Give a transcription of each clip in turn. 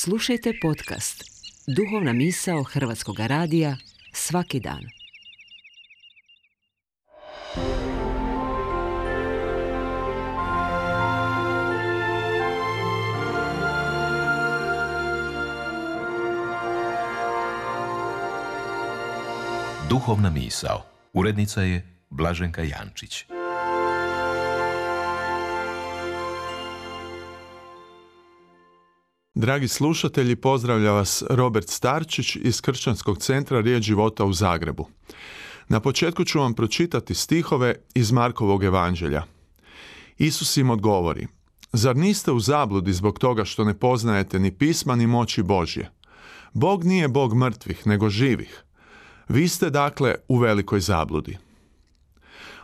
Slušajte podcast Duhovna misao Hrvatskog radija svaki dan. Duhovna misao. Urednica je Blaženka Jančić. Dragi slušatelji, pozdravlja vas Robert Starčić iz Kršćanskog centra Riječ života u Zagrebu. Na početku ću vam pročitati stihove iz Markovog evanđelja. Isus im odgovori: Zar niste u zabludi zbog toga što ne poznajete ni pisma ni moći Božje? Bog nije Bog mrtvih, nego živih. Vi ste dakle u velikoj zabludi.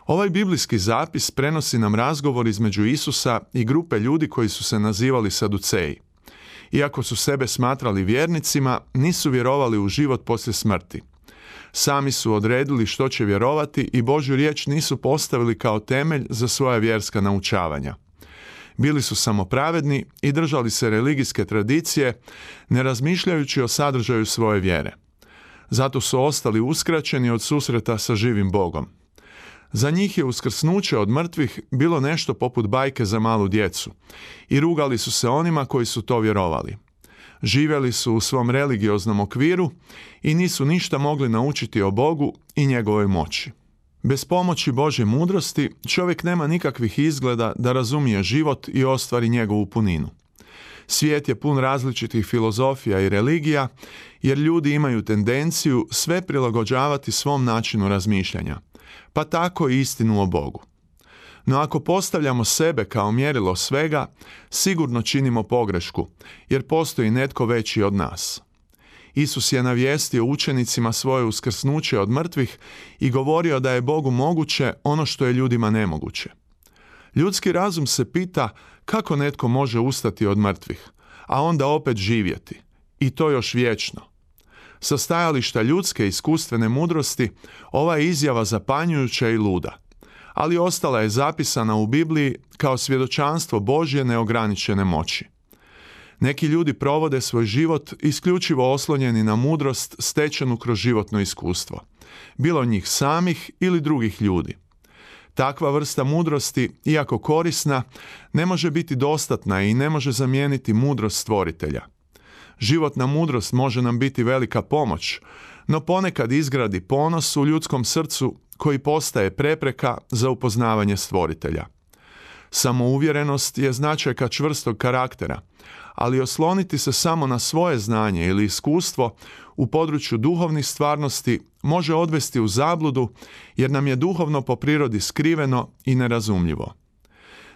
Ovaj biblijski zapis prenosi nam razgovor između Isusa i grupe ljudi koji su se nazivali Saduceji. Iako su sebe smatrali vjernicima, nisu vjerovali u život poslije smrti. Sami su odredili što će vjerovati i Božju riječ nisu postavili kao temelj za svoja vjerska naučavanja. Bili su samopravedni i držali se religijske tradicije, ne razmišljajući o sadržaju svoje vjere. Zato su ostali uskraćeni od susreta sa živim Bogom. Za njih je uskrsnuće od mrtvih bilo nešto poput bajke za malu djecu i rugali su se onima koji su to vjerovali. Živjeli su u svom religioznom okviru i nisu ništa mogli naučiti o Bogu i njegovoj moći. Bez pomoći Božje mudrosti čovjek nema nikakvih izgleda da razumije život i ostvari njegovu puninu. Svijet je pun različitih filozofija i religija, jer ljudi imaju tendenciju sve prilagođavati svom načinu razmišljanja, pa tako i istinu o Bogu. No ako postavljamo sebe kao mjerilo svega, sigurno činimo pogrešku, jer postoji netko veći od nas. Isus je navijestio učenicima svoje uskrsnuće od mrtvih i govorio da je Bogu moguće ono što je ljudima nemoguće. Ljudski razum se pita kako netko može ustati od mrtvih, a onda opet živjeti, i to još vječno. Sa stajališta ljudske iskustvene mudrosti, ova je izjava zapanjujuća i luda, ali ostala je zapisana u Bibliji kao svjedočanstvo Božje neograničene moći. Neki ljudi provode svoj život isključivo oslonjeni na mudrost stečenu kroz životno iskustvo, bilo njih samih ili drugih ljudi. Takva vrsta mudrosti, iako korisna, ne može biti dostatna i ne može zamijeniti mudrost stvoritelja. Životna mudrost može nam biti velika pomoć, no ponekad izgradi ponos u ljudskom srcu koji postaje prepreka za upoznavanje stvoritelja. Samouvjerenost je značajka čvrstog karaktera, ali osloniti se samo na svoje znanje ili iskustvo u području duhovnih stvarnosti može odvesti u zabludu, jer nam je duhovno po prirodi skriveno i nerazumljivo.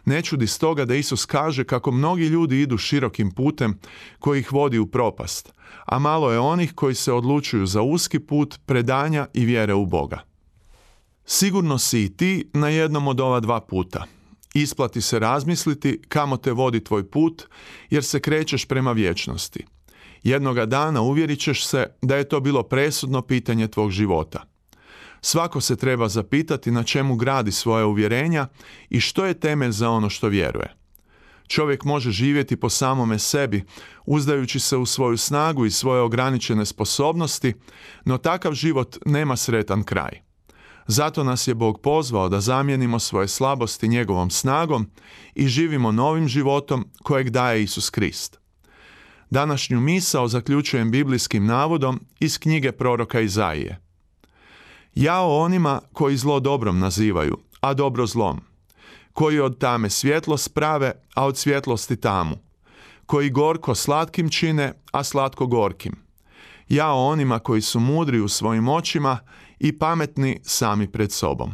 Ne čudi stoga da Isus kaže kako mnogi ljudi idu širokim putem koji ih vodi u propast, a malo je onih koji se odlučuju za uski put predanja i vjere u Boga. Sigurno si i ti na jednom od ova dva puta. Isplati se razmisliti kamo te vodi tvoj put, jer se krećeš prema vječnosti. Jednoga dana uvjerit ćeš se da je to bilo presudno pitanje tvog života. Svako se treba zapitati na čemu gradi svoje uvjerenja i što je temelj za ono što vjeruje. Čovjek može živjeti po samome sebi, uzdajući se u svoju snagu i svoje ograničene sposobnosti, no takav život nema sretan kraj. Zato nas je Bog pozvao da zamijenimo svoje slabosti njegovom snagom i živimo novim životom kojeg daje Isus Krist. Današnju misao zaključujem biblijskim navodom iz knjige proroka Izaije. Jao onima koji zlo dobrom nazivaju, a dobro zlom, koji od tame svjetlost prave, a od svjetlosti tamu, koji gorko slatkim čine, a slatko gorkim. Jao onima koji su mudri u svojim očima i pametni sami pred sobom.